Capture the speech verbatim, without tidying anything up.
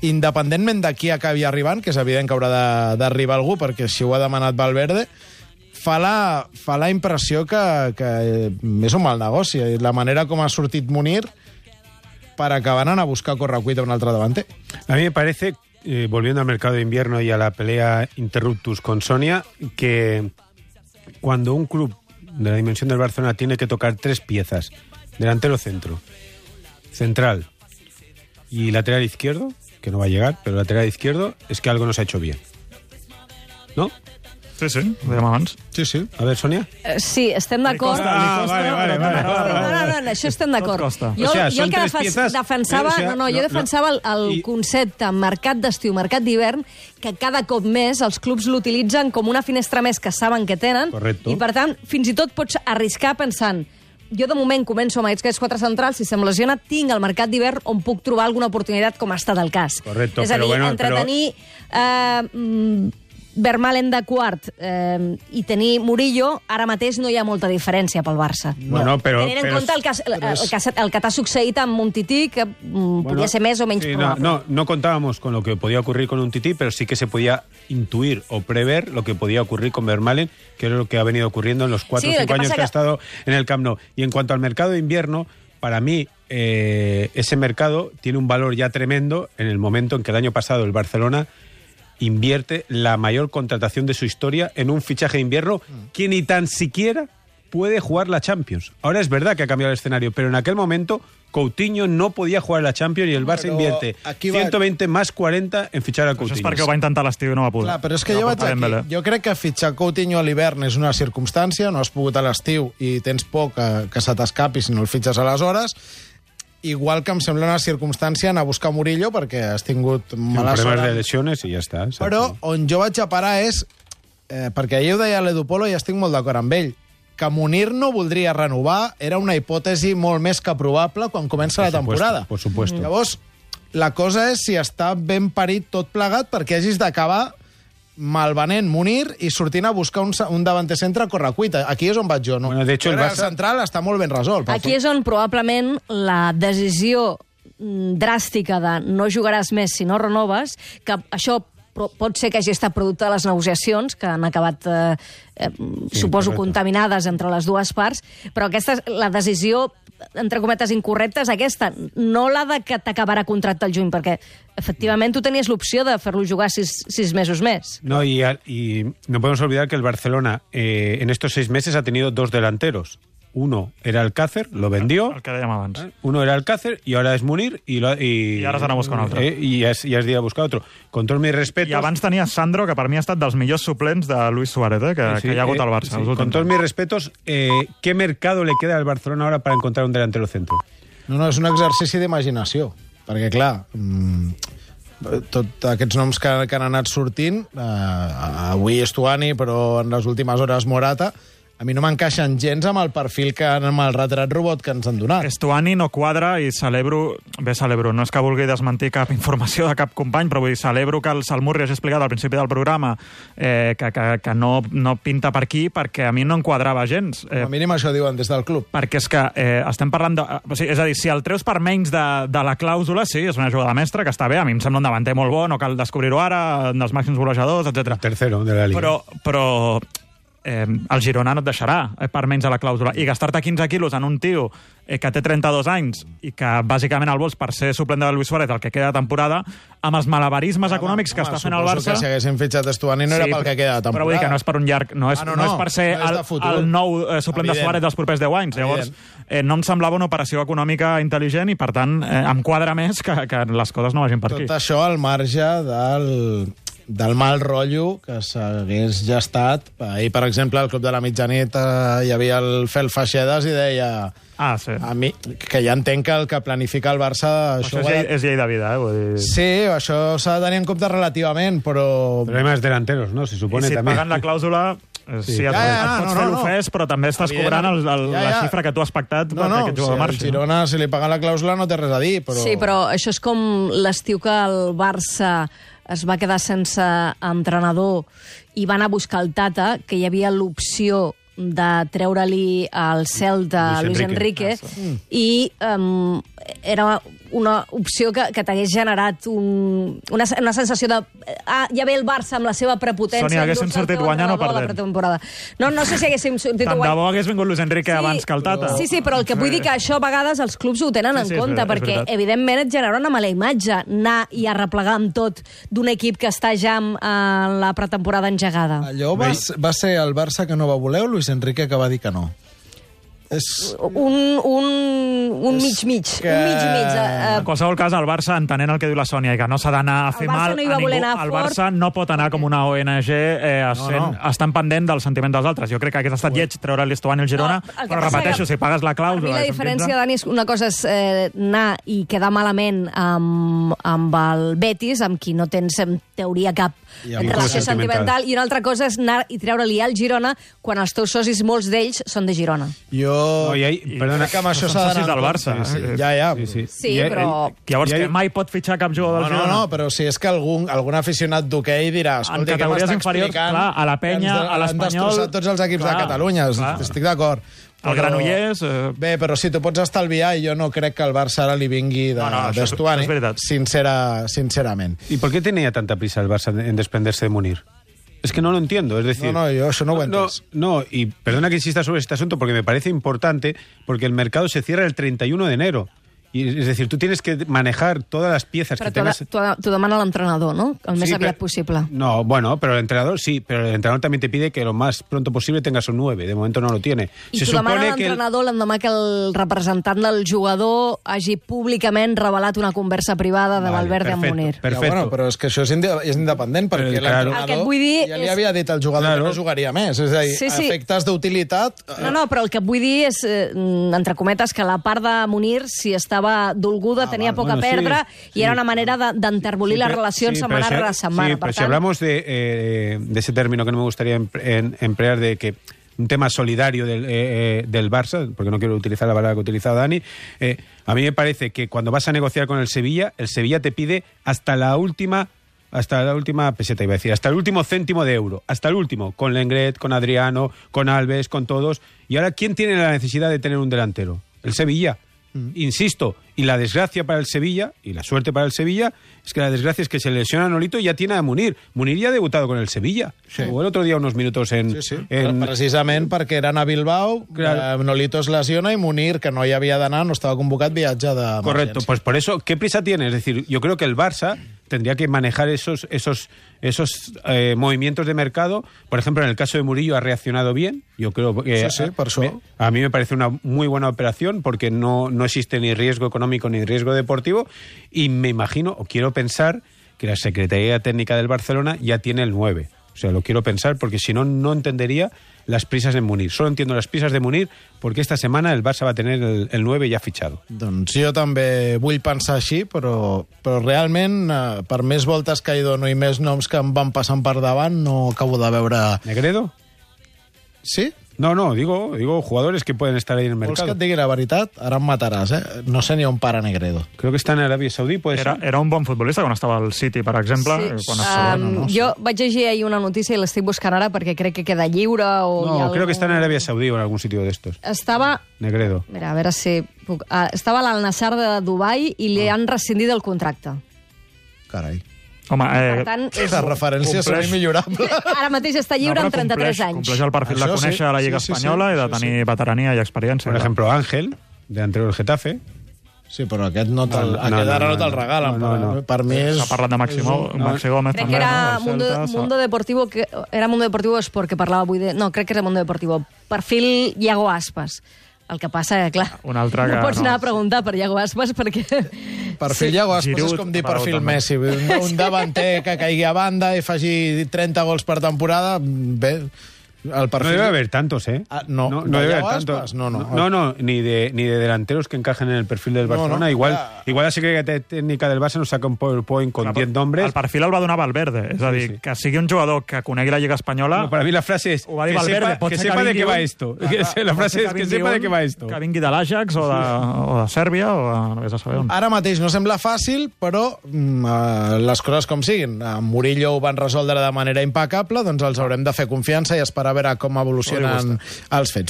independentment de qui acabi arribant, que és evident que haurà d'arribar algú, perquè així ho ha demanat Valverde, fa la, fa la impressió que, que és un mal negoci. La manera com ha sortit Munir per acabar anant a buscar correcuita un altre davanter. A mí me parece, eh, volviendo al mercado de invierno y a la pelea interruptus con Sonia, que cuando un club de la dimensión del Barcelona tiene que tocar tres piezas, delantero centro, central y lateral izquierdo, que no va a llegar, pero lateral izquierdo, es que algo no se ha hecho bien. ¿No? Sí, sí, ho dèiem abans. Sí, sí. A ver, Sonia. Uh, sí, estem d'acord. Ah, vale, vale, vale. No, no, no, no, això estem d'acord. Jo, O sea, jo el que tres piezas, defensava, eh, o sea, no, no, jo no, defensava el, el i... concepte mercat d'estiu, mercat d'hivern, que cada cop més els clubs l'utilitzen com una finestra més que saben que tenen. Correcto. I, per tant, fins i tot pots arriscar pensant jo de moment començo amb aquests quatre centrals, si se'm lesiona, tinc el mercat d'hivern on puc trobar alguna oportunitat com ha estat el cas. Correcto, és a dir, però bueno, entretenir... Però... Eh, Vermaelen de quart eh, i tenir Murillo, ara mateix no hi ha molta diferència pel Barça. Bueno, però, Tenint en però, compte el que, el, el, que, el que t'ha succeït amb un Tití, que mm, bueno, podia ser més o menys sí, probable. No, no, no contábamos con lo que podía ocurrir con un Tití, pero sí que se podía intuir o prever lo que podía ocurrir con Vermaelen, que es lo que ha venido ocurriendo en los cuatro o sí, cinco años que... que ha estado en el Camp Nou. Y en cuanto al mercado de invierno, para mí eh, ese mercado tiene un valor ya tremendo en el momento en que el año pasado el Barcelona invierte la mayor contratación de su historia en un fichaje de invierno que ni tan siquiera puede jugar la Champions. Ahora es verdad que ha cambiado el escenario, pero en aquel momento Coutinho no podía jugar la Champions y el Barça però invierte ciento veinte va... más cuarenta en fichar a Coutinho. Això és perquè ho va intentar l'estiu i no va poder. Clar, però és que jo vaig aquí. Jo crec que fitxar Coutinho a l'hivern és una circumstància, no has pogut a l'estiu i tens por que, que se t'escapi si no el fitxes aleshores. Igual que em sembla una circumstància anar a buscar Murillo perquè has tingut mala sort. Problemes de lesiones i ja està. Exacte. Però on jo vaig a parar és, eh, perquè ahir ho deia l'Edu Polo i estic molt d'acord amb ell, que Munir no voldria renovar era una hipòtesi molt més que probable quan comença la temporada. Por supuesto. Llavors, la cosa és si està ben parit tot plegat perquè hagis d'acabar malvenent Munir i sortint a buscar un, un davanter centre a correcuita. Aquí és on vaig jo, no? Bueno, de hecho, el, el Barça... central està molt ben resolt. Aquí és on probablement la decisió dràstica de no jugaràs més si no renoves, que això pot ser que hagi estat producte de les negociacions, que han acabat, eh, eh, sí, suposo, correcte, contaminades entre les dues parts, però aquesta, la decisió, entre cometes, incorrecta és aquesta, no la de que t'acabarà contracte al juny, perquè, efectivament, tu tenies l'opció de fer-lo jugar sis, sis mesos més. No, y, y no podemos olvidar que el Barcelona eh, en estos seis meses ha tenido dos delanteros. Uno era Alcácer, lo vendió. El que dèiem abans. Uno era Alcácer y ahora es Munir. Y, lo, y, I ara s'ha d'anar a buscar un altre. Eh, I ja, ja es dirà a buscar otro. Con tots mis respetos... I abans tenia Sandro, que per mi ha estat dels millors suplents de Luis Suárez, eh, que, sí, que hi ha hagut eh, al Barça. Sí, con todos mis respetos, eh, ¿qué mercado le queda al Barcelona ahora para encontrar un delantero centro? No, no, és un exercici d'imaginació. Perquè, clar, mmm, tots aquests noms que, que han anat sortint, eh, avui Estuani, però en les últimes hores Morata, a mi no m'encaixen gens amb el perfil que amb el retrat robot que ens han donat. Estuani no quadra i celebro... Bé, celebro, no és que vulgui desmentir cap informació de cap company, però vull dir, celebro que el Salmurri hagi explicat al principi del programa eh, que, que, que no, no pinta per aquí perquè a mi no enquadrava gens. Eh, a mínim això diuen des del club. Perquè és que eh, estem parlant de... O sigui, és a dir, si el treus per menys de, de la clàusula, sí, és una jugada mestra que està bé, a mi em sembla un davanter molt bo, no cal descobrir-ho ara, dels màxims golejadors, etcètera. Tercero de la Liga. Però... però Eh, el Girona no et deixarà eh, per menys a la clàusula. I gastar-te quinze quilos en un tio eh, que té trenta-dos anys i que bàsicament el vols per ser suplent de Luis Suárez el que queda de temporada, amb els malabarismes home, econòmics que home, està fent el Barça... que si haguessin fitxat Estuani no sí, era pel que queda de temporada. Però vull dir que no és per un llarg... No és, ah, no, no, no és per ser no és el, el nou eh, suplent Evident. de Suárez dels propers deu anys. Llavors, eh, no em semblava una operació econòmica intel·ligent i, per tant, eh, em quadra més que, que les coses no vagin per Tot aquí. Tot això al marge del... del mal rotllo que s'hagués gestat. Ahir, per exemple, al Club de la Mitjanit eh, hi havia el Fel Faixedes i deia ah, sí. a mi, que ja entenc que el que planifica el Barça... Això, això és, llei, és llei de vida, eh? Vull dir... Sí, això s'ha de tenir en compte relativament, però... Però hay más delanteros, ¿no? Se supone I si també. paguen la clàusula... Sí, sí et, ja, ja, et pots no, fer no, l'ofès, però també estàs Evident. cobrant el, el, ja, ja. la xifra que tu has pactat no, perquè no, aquest jugador si marxi. Al Girona, si li paguen la clàusula, no té res a dir, però... Sí, però això és com l'estiu que el Barça es va quedar sense entrenador i van a buscar el Tata, que hi havia l'opció de treure-li el Celta a Luis Enrique, Enrique ah, i um, era una opció que, que t'hagués generat un, una, una sensació de... Ah, ja ve el Barça amb la seva prepotència. Sònia, haguéssim sortit guanyant o perdent? No, no sé si haguéssim sortit Tant guanyant. de bo hagués vingut Luis Enrique Sí, abans que el Tata. Sí, sí, però el que vull dir que això a vegades els clubs ho tenen Sí, en sí, és compte, veritat, és perquè veritat. evidentment et genera una mala imatge anar i arreplegar amb tot d'un equip que està ja en eh, la pretemporada engegada. Allò va, va ser el Barça que no va voler o Luis Enrique que va dir que no? És... Un, un, un mig-mig, que- un mig-mig. Eh, En qualsevol cas, el Barça, entenent el que diu la Sònia, i que no s'ha d'anar a fer El Barça mal no hi a va ningú, voler anar el fort. Barça no pot anar com una O N G eh, sent, No, no. estan pendent del sentiment dels altres. Jo crec que hagués estat lleig treure l'Estuani al Girona, No, el que però passa repeteixo, que si pagues la Per mi clàusula... la i són diferència, quinze, Dani, és una cosa és eh, anar i quedar malament amb, amb el Betis, amb qui no tens, en teoria, cap I amb relació el sentimental. sentimental, i una altra cosa és anar i treure-li al Girona quan els teus socis, molts d'ells, són de Girona. Jo... No, i ahí, perdona, crec que amb això són s'ha socis d'anar... del Barça. Sí, sí. Eh? Ja, ja. Sí, sí. Sí, I, però- Llavors, I ahí- que mai pot fitxar cap jugador No, del no, Girona? no, però si és que algun, algun aficionat d'hoquei dirà... En Escolta, què categories m'està inferiors, explicant? clar, a la Penya, Que ens de- a l'Espanyol- Han destrossat tots els equips Clar, de Catalunya, clar. estic d'acord. El Però- Granollers... Eh... Bé, però si t'ho pots estalviar, i jo no crec que el Barça ara li vingui de, No, no, això és- d'Estuani, això és veritat. sincera, sincerament. ¿Y por qué tenía tanta prisa el Barça en desprenderse de Munir? Es que no lo entiendo, es decir... No, no, yo eso no lo no, entiendo. no, y perdona que insista sobre este asunto porque me parece importante, porque el mercado se cierra el treinta y uno de enero. Y, es decir, tú tienes que manejar todas las piezas Però que t'ho tengas... t'ho- t'ho demana l'entrenador, no? El més Sí, aviat pero- possible. No, bueno, pero el entrenador sí, pero el entrenador también te pide que lo más pronto posible tengas un nueve. De momento no lo tiene. I t'ho demana que el- l'entrenador l'endemà que el representant del jugador hagi públicament revelat una conversa privada de Vale, Valverde amb perfecto, Munir. perfecto. Ja, bueno, però és que això és, inde és independent, perquè Però, claro. l'entrenador El que et vull dir ja li és- havia dit al jugador Claro. que no jugaria més. És a dir, Sí, sí. efectes d'utilitat... eh, No, no, però el que et vull dir és, eh, entre cometes, que la part de Munir, si estava dolguda, Ah, tenia val, poc bueno, a perdre, sí, i era sí. una manera de- d'enterbolir Sí, les pero- relacions sí, setmana pero rere si- setmana. Sí, Per pero si tant, hablamos de, eh, de ese término que no me gustaría em- en- emplear, de que un tema solidario del, eh, eh, del Barça, porque no quiero utilizar la palabra que ha utilizado Dani, eh, a mí me parece que cuando vas a negociar con el Sevilla, el Sevilla te pide hasta la última... Hasta la última peseta, iba a decir, hasta el último céntimo de euro, hasta el último, con Lenglet, con Adriano, con Alves, con todos. Y ahora, ¿quién tiene la necesidad de tener un delantero? El Sevilla. Insisto, y la desgracia para el Sevilla, y la suerte para el Sevilla, es que la desgracia es que se lesiona a Nolito y ya tiene a Munir. Munir ya ha debutado con el Sevilla. Sí. Jugó el otro día unos minutos en... Sí, sí. en- Precisament perquè eren a Bilbao, Claro. eh, Nolito es lesiona i Munir, que no hi havia d'anar, no estava convocat, viatge de Correcto, pues por eso, ¿qué prisa tiene? Es decir, yo creo que el Barça tendría que manejar esos, esos, esos eh, movimientos de mercado. Por ejemplo, en el caso de Murillo ha reaccionado bien. Yo creo que Sí, sí, por eso. me- a mí me parece una muy buena operación porque no, no existe ni riesgo económico ni riesgo deportivo. Y me imagino, o quiero pensar, que la Secretaría Técnica del Barcelona ya tiene el nueve. O sea, lo quiero pensar porque si no, no entendería las prisas en Munir. Solo entiendo las prisas de Munir porque esta semana el Barça va a tener el, el nueve ya fichado. Doncs jo també vull pensar així, però, però realment, eh, per més voltes que hi dono i més noms que em van passant per davant, no acabo de veure... ¿Negredo? Sí? No, no, digo, digo jugadores que pueden estar ahí en el Vols que mercado. et digui la veritat? Ara em mataràs, eh? No sé ni on para Negredo. Creo que está en Arabia Saudí, puede Era, ser. era un bon futbolista quan estava al City, per exemple. eh, Quan estava, um, no, no, jo vaig llegir ahir una notícia i l'estic buscant ara perquè crec que queda lliure o hi ha No, creo que está en algun- Arabia Saudí o en algún sitio de estos. Estava... Negredo. Mira, a veure si... Puc, uh, estava a l'Al-Nassr de Dubai i li han rescindit el contracte. Carai. Home, eh, Per tant, és... Les referències són Compleix. immillorables. Ara mateix està lliure no, amb però trenta-tres compleix, anys. Compleix el perfil de Això sí, conèixer la Lliga sí, sí, sí, Espanyola i de això tenir veterania i experiència. Por ejemplo, Ángel, delantero del Getafe. Sí, però aquest no te'l, No, no, aquest no, ara no, no te'l no. regalen. No, no, per, no. per mi és... S'ha parlat de Maximo, no, Maxi Gómez Crec també. que era no? Del Mundo, Celta, Mundo Deportivo, que era Mundo Deportivo Esport, que parlava avui de... No, crec que era Mundo Deportivo. Perfil Iago Aspas. El que passa, que, clar, Un altre no que pots no. anar a preguntar per Iago Aspas perquè... Perfil Iago Aspas és Giroud, com dir però perfil també. Messi. Un, un davanter que caigui a banda i faci trenta gols per temporada, bé, el No perfil... debe haber tantos, ¿eh? Ah, no, no, ¿no debe haber Iago tantos. Aspas? No, no. no, no, ni de ni de delanteros que encajen en el perfil del No, Barcelona. no, igual, ya. igual la Secretaría Técnica del Barça nos saca un PowerPoint con diez nombres. El perfil el va donar Valverde. És a dir, Sí, sí. que sigui un jugador que conegui la Lliga Espanyola... No, para mí la frase es Ho va dir que Valverde. sepa, Pot que ser sepa de vingui qué va un- esto. Clar, Que clar, la pot frase ser es que vingui sepa de un qué va esto. Que vingui de l'Ajax o, de, o de Sèrbia o de... no vés a saber on. Ara mateix no sembla fàcil, però mm, eh, les coses com siguin. A Murillo ho van resoldre de manera impecable, doncs els haurem de fer confiança i esperar a veure com evolucionen els fets.